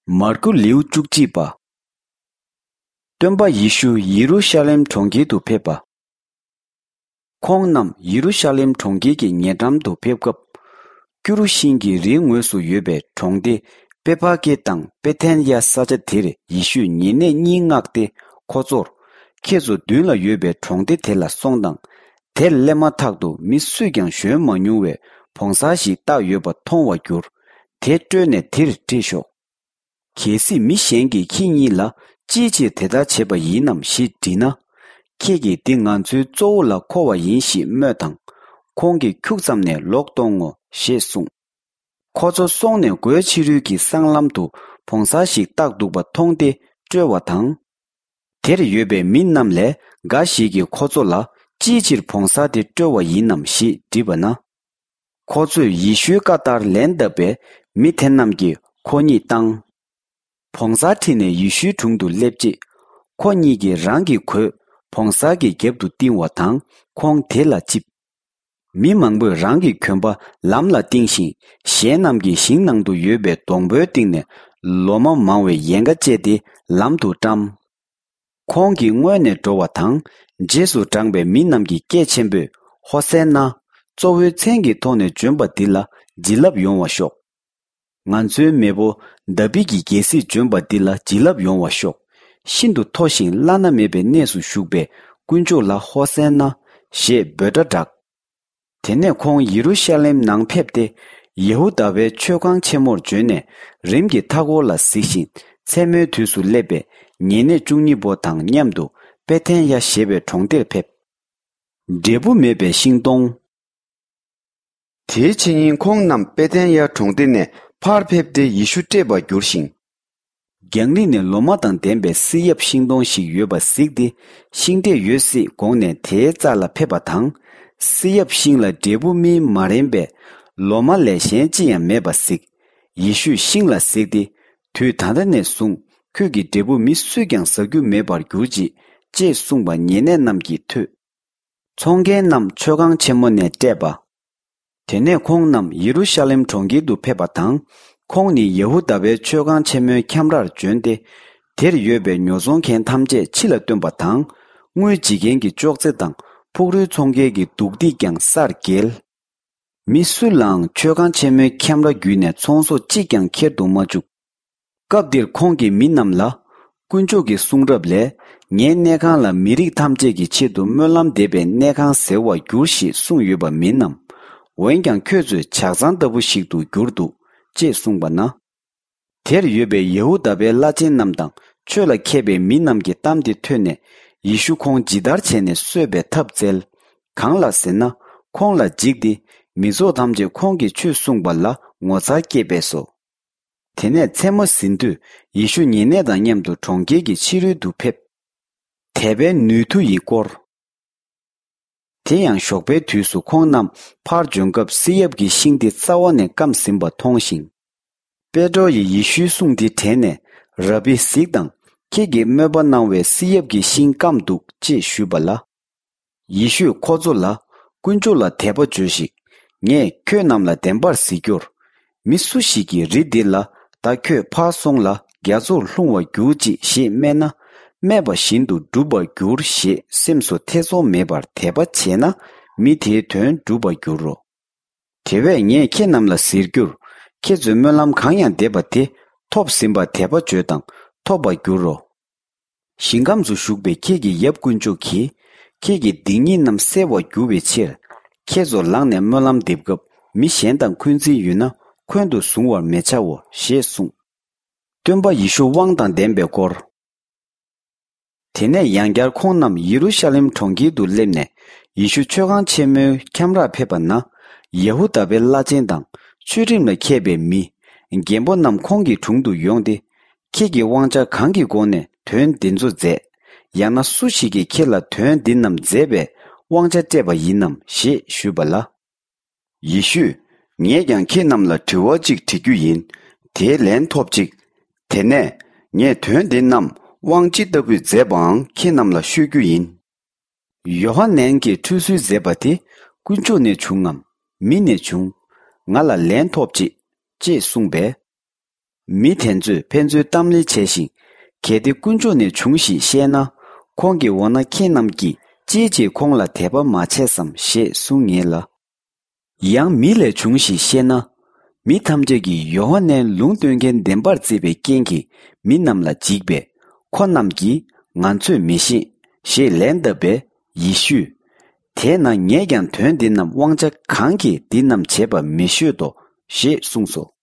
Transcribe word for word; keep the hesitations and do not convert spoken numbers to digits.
མར་ཁུ་ལེའུ་བཅུ་གཅིག་པ། སྟོན་པ་ཡེ་ཤུ་ཡེ་རུ་ཤ་ལེམ་གྲོང་ཁྱེར་དུ་ཕེབས་པ། ཁོང་རྣམས་ཡེ་རུ་ཤ་ལེམ་གྲོང་ཁྱེར་གྱི་ཉེ་འགྲམ་དུ་ཕེབས་སྐབས། ཀུ་རུ་ཤིང་གི་རིའི་ངོས་སུ་ཡོད་པའི་གྲོང་སྡེ་པེ་ཕ་ཀེ་དང་པེ་ཐན་ཡ་ས་ཆ་དེར་ཡེ་ཤུས་ཉེ་གནས་གཉིས་མངགས་ཏེ་ཁོ་ཚོར། ཁྱེད་ཚོ་མདུན་ལ་ཡོད་པའི་གྲོང་སྡེ་དེ་ལ་སོང་དང་། དེར་སླེབས་མ་ཐག་ཏུ་མི་སུས་ཀྱང་བཞོན་མ་མྱོང་བའི་བོང་གསར་ཞིག་བཏགས་ཡོད་པ་མཐོང་བར་འགྱུར། དེ་བཀྲོལ་ནས་དེར་ཁྲིད་ཤོག། གལ་སྲིད་མི་གཞན་གྱིས་ཁྱེད་གཉིས་ལ་ཅིའི་ཕྱིར་དེ་ལྟར་བྱས་པ་ཡིན་ནམ་ཞེས་དྲིས་ན། ཁྱེད་ཀྱིས་འདི་ང་ཚོའི་གཙོ་བོ་ལ་མཁོ་བ་ཡིན་ཞེས་སྨྲོས་དང་། ཁོང་གིས་ཁྱུག་ཙམ་ནས་ལོག་གཏོང་ངོ་ཞེས་གསུངས། ཁོ་ཚོ་སོང་ནས་སྒོའི་ཕྱི་རོལ་གྱི་སྲང་ལམ་དུ་བོང་གསར་ཞིག་བཏགས་འདུག་པ་མཐོང་སྟེ་བཀྲོལ་བ་དང་། དེར་ཡོད་པའི་མི་རྣམས་ལས་འགའ་ཞིག་གིས་ཁོ་ཚོ་ལ་ཅིའི་ཕྱིར་བོང་གསར་དེ་བཀྲོལ་བ་ཡིན་ནམ་ཞེས་དྲིས་པ་ན། ཁོ་ཚོས་ཡེ་ཤུའི་བཀའ་ལྟར་ལན་བཏབ་པས་མི་དེ་རྣམས་ཀྱིས་ཁོ་གཉིད་བཏང་། བོང་གསར་ཁྲིད་ནས་ཡེ་ཤུའི་དྲུང་དུ་སླེབས་རྗེས། ཁོ་གཉིས་ཀྱིས་རང་གི་གོས་བོང་གསར་གྱི་རྒྱབ་ཏུ་བཏིང་བ་དང་ཁོང་དེ་ལ་བཅིབས། མི་མང་པོས་རང་གི་གོན་པ་ལམ་ལ་བཏིང་ཞིང་གཞན་རྣམས་ཀྱིས་ཞིང་ནང་དུ་ཡོད་པའི་སྡོང་པོའི་སྟེང་ནས་ལོ་མ་མང་བའི་ཡལ་ག་བཅད་དེ་ལམ་དུ་བཀྲམ། ཁོང་གིས་སྔོན་ནས་འགྲོ་བ་དང་རྗེས་སུ་འབྲངས་པའི་མི་རྣམས་ཀྱིས་སྐད་ཆེན་པོས་ཧོ་སན་ན། གཙོ་བོའི་མཚན་གྱི་ཐོག་ནས་བྱོན་པ་འདི་ལ་བྱིན་རླབས་ཡོང་བ་ཤོག། ང་ཚོའི་མེས་པོ་དཱ་བིད་ཀྱི་རྒྱལ་སྲིད་བྱོན་པ་འདི་ལ་བྱིན་རླབས་ཡོང་བ་ཤོག། ཤིན་ཏུ་མཐོ་ཞིང་བླ་ན་མེད་པའི་གནས་སུ་བཞུགས་པའི་དཀོན་མཆོག་ལ་ཧོ་སན་ན་ཞེས་འབོད་སྒྲ་བསྒྲགས། དེ་ནས་ཁོང་ཡེ་རུ་ཤ་ལེམ་ནང་ཕེབས་ཏེ། ཡེ་ཧུ་དཱ་པའི་མཆོད་ཁང་ཆེན་མོར་བྱོན་ནས་རིམ་གྱིས་མཐའ་འཁོར་ལ་གཟིགས་ཤིང་མཚན་མོའི་དུས་སུ་སླེབས་པའི་ཉེ་གནས་བཅུ་གཉིས་པོ་དང་མཉམ་དུ་པེ་ཐན་ཡ་ཞེས་པའི་གྲོང་སྡེར་ཕེབས། འབྲས་བུ་མེད་པའི་ཤིང་སྡོང་། དེའི་ཕྱི་ཉིན་ཁོང་རྣམས་པེ་ཐན་ཡ་གྲོང་སྡེ་ནས་ཕར་ཕེབས་ཏེ་ཡེ་ཤུ་བསྐྲད་པར་གྱུར་ཞིང་། རྒྱང་རིང་ནས་ལོ་མ་དང་ལྡན་པའི་བསིལ་ཡབ་ཤིང་སྡོང་ཞིག་ཡོད་པ་གཟིགས་ཏེ་ཤིང་འབྲས་ཡོད་སྲིད་དགོངས་ནས་དེའི་རྩ་ལ་ཕེབས་པ་དང་། བསིལ་ཡབ་ཤིང་ལ་འབྲས་བུ་སྨིན་མ་རན་པས་ལོ་མ་ལས་གཞན་ཅི་ཡང་མེད་པ་གཟིགས། ཡེ་ཤུས་ཤིང་ལ་གཟིགས་ཏེ། དུས་ད་ལྟ་ནས་བཟུང་ཁྱོད་ཀྱི་འབྲས་བུ་མི་སུས་ཀྱང་ཟ་རྒྱུ་མེད་པར་གྱུར་ཅིག་ཅེས་གསུངས་པ་ཉེ་གནས་རྣམས་ཀྱིས་ཐོས། ཚོང་མཁན་རྣམས་མཆོད་ཁང་ཆེན་མོ་ནས་བསྐྲད་པ། དེ་ནས་ཁོང་རྣམས་ཡེ་རུ་ཤ་ལེམ་གྲོང་ཁྱེར་དུ་ཕེབས་པ་དང་། ཁོང་ནི་ཡེ་ཧུ་དཱ་པའི་མཆོད་ཁང་ཆེན་མོའི་ཁྱམས་རར་བྱོན་ཏེ། དེར་ཡོད་པའི་ཉོ་ཚོང་མཁན་ཐམས་ཅད་ཕྱི་ལ་བཏོན་པ་དང་། དངུལ་བརྗེ་མཁན་གྱི་ཅོག་ཙེ་དང་ཕུག་རོན་འཚོང་མཁན་གྱི་འདུག་སྟེགས་ཀྱང་སར་འགྱེལ། མི་སུ་ལའང་མཆོད་ཁང་ཆེན་མོའི་ཁྱམས་ར་བརྒྱུད་ནས་ཚོང་ཟོག་གཅིག་ཀྱང་ཁྱེར་དུ་མ་བཅུག། སྐབས་འདིར་ཁོང་གིས་མི་རྣམས་ལ། དཀོན་མཆོག་གི་གསུང་རབ་ལས། ངའི་གནས་ཁང་ལ་མི་རིགས་ཐམས་ཅད་ཀྱི་ཆེད་དུ་སྨོན་ལམ་འདེབས་པའི་གནས་ཁང་ཟེར་བར་འགྱུར་ཞེས་གསུངས་ཡོད་པ་མིན་ནམ། འོན་ཀྱང་ཁྱོད་ཚོས་ཇག་ཚང་ལྟ་བུ་ཞིག་ཏུ་གྱུར་འདུག་ཅེས་གསུངས་པ་ན། དེར་ཡོད་པའི་ཡེ་ཧུ་དཱ་པའི་བླ་ཆེན་རྣམས་དང་ཆོས་ལ་མཁས་པའི་མི་རྣམས་ཀྱི་གཏམ་དེ་ཐོས་ནས་ཡེ་ཤུ་ཁོང་ཇི་ལྟར་བྱས་ནས་གསོད་པའི་ཐབས་བཙལ། གང་ལགས་ཟེར་ན། ཁོང་ལ་འཇིགས་ཏེ་མི་ཚོགས་ཐམས་ཅད་ཁོང་གིས་ཆོས་གསུངས་པ་ལ་ངོ་མཚར་སྐྱེས་པས་སོ། དེ་ནས་མཚན་མོ་ཟིན་དུས་ཡེ་ཤུ་ཉེ་གནས་དང་མཉམ་དུ་གྲོང་ཁྱེར་གྱི་ཕྱི་རོལ་དུ་ཕེབས། དད་པའི་ནུས་མཐུ་ཡི་སྐོར། དེ་ཡང་ཞོགས་པའི་དུས་སུ་ཁོང་རྣམས་ཕར་འབྱོན་སྐབས་བསིལ་ཡབ་ཀྱི་ཤིང་དེ་རྩ་བ་ནས་སྐམ་ཟིན་པ་མཐོང་ཞིང་། པེ་ཏྲོ་ཡིས་ཡེ་ཤུའི་གསུང་དེ་དྲན་ནས། ར་བི་གཟིགས་དང་། ཁྱེད་ཀྱིས་སྨོད་པ་གནང་བའི་བསིལ་ཡབ་ཀྱི་ཤིང་སྐམ་འདུག་ཅེས་ཞུས་པ་ལ། ཡེ་ཤུས་ཁོ་ཚོ་ལ། དཀོན་མཆོག་ལ་དད་པ་བྱོས་ཤིག། ངས་ཁྱོད་རྣམས་ལ་བདེན་པར་ཟེར་རྒྱུར། མི་སུ་ཞིག་གིས་རི་འདི་ལ། ད་ཁྱོད་ཕར་སོང་ལ་རྒྱ་མཚོར་ལྷུང་བར་གྱུར་ཅིག་ཞེས་སྨྲས་ན། སྨྲས་པ་བཞིན་དུ་འགྲུབ་པར་འགྱུར་ཞེས་སེམས་སུ་ཐེ་ཚོམ་མེད་པར་དད་པ་བྱས་ན། མི་དེའི་དོན་འགྲུབ་པར་འགྱུར་རོ། དེ་བས་ངས་ཁྱེད་རྣམས་ལ་ཟེར་རྒྱུར། ཁྱེད་ཚོས་སྨོན་ལམ་གང་ཡང་འདེབས་པ་དེ་ཐོབ་ཟིན་པར་དད་པ་བྱོས་དང་ཐོབ་པར་འགྱུར་རོ། ཞིང་ཁམས་སུ་བཞུགས་པའི་ཁྱེད་ཀྱི་ཡབ་དཀོན་མཆོག་གིས། ཁྱེད་ཀྱི་སྡིག་ཉེས་རྣམས་སེལ་བར་འགྱུར་བའི་ཕྱིར། ཁྱེད་ཚོ་ལངས་ནས་སྨོན་ལམ་འདེབས་སྐབས་མི་གཞན་དང་འཁོན་འཛིན་ཡོད་ན་འཁོན་དུ་བཟུང་བར་མི་བྱའོ་ཞེས་གསུངས། སྟོན་པ་ཡེ་ཤུ་དབང་དང་ལྡན་པའི་སྐོར། དེ་ནས་ཡང་བསྐྱར་ཁོང་རྣམས་ཡེ་རུ་ཤ་ལེམ་གྲོང་ཁྱེར་དུ་སླེབས་ནས་ཡེ་ཤུ་མཆོད་ཁང་ཆེན་མོའི་ཁྱམས་རར་ཕེབས་པ་ན། ཡེ་ཧུ་དཱ་པའི་བླ་ཆེན་དང་ཆོས་ཁྲིམས་ལ་མཁས་པའི་མི། རྒན་པོ་རྣམས་ཁོང་གི་དྲུང་དུ་ཡོང་སྟེ། ཁྱེད་ཀྱིས་དབང་ཆ་གང་གི་སྒོ་ནས་དོན་འདི་ཚོ་མཛད། ཡང་ན་སུ་ཞིག་གིས་ཁྱེད་ལ་དོན་འདི་རྣམས་མཛད་པའི་དབང་ཆ་སྤྲད་པ་ཡིན་ནམ་ཞེས་ཞུས་པ་ལ། ཡེ་ཤུས། ངས་ཀྱང་ཁྱེད་རྣམས་ལ་དྲི་བ་གཅིག་དྲི་རྒྱུ་ཡིན། དེའི་ལན་ཐོབ་ཅིག། དེ་ནས་ངས་དོན་འདི་རྣམས་དབང་ཅི་ལྟ་བུས་མཛད་པའང་ཁྱེད་རྣམས་ལ་ཤོད་རྒྱུ་ཡིན། ཡོ་ཧ་ནན་གྱིས་ཁྲུས་གསོལ་མཛད་པ་དེ་དཀོན་མཆོག་ནས་བྱུང་ངམ་མི་ནས་བྱུང་། ང་ལ་ལན་ཐོབ་ཅིག་ཅེས་གསུངས་པས། མི་དེ་ཚོས་ཕན་ཚུན་གཏམ་གླེང་བྱས་ཤིང་། གལ་ཏེ་དཀོན་མཆོག་ནས་བྱུང་ཞེས་བཤད་ན། ཁོང་གི་འོ་ན་ཁྱེད་རྣམས་ཀྱིས་ཅིའི་ཕྱིར་ཁོང་ལ་དད་པ་མ་བྱས་སམ་ཞེས་གསུང་ངེས་ལ། ཡང་མི་ལས་བྱུང་ཞེས་བཤད་ན། མི་ཐམས་ཅད་ཀྱིས་ཡོ་ཧ་ནན་ལུང་སྟོན་མཁན་བདེན་པར་བརྩིས་པའི་རྐྱེན་གྱིས་མི་རྣམས་ལ་འཇིགས་པས། ཁོ་རྣམས་ཀྱིས་ང་ཚོས་མི་ཤེས་ཞེས་ལན་བཏབ་པས། ཡེ་ཤུས། དེས་ན་ངས་ཀྱང་དོན་འདི་རྣམས་དབང་ཆ་གང་གིས་འདི་རྣམས་བྱེད་པ་མི་ཤོད་དོ། ཞེས་གསུངས་སོ།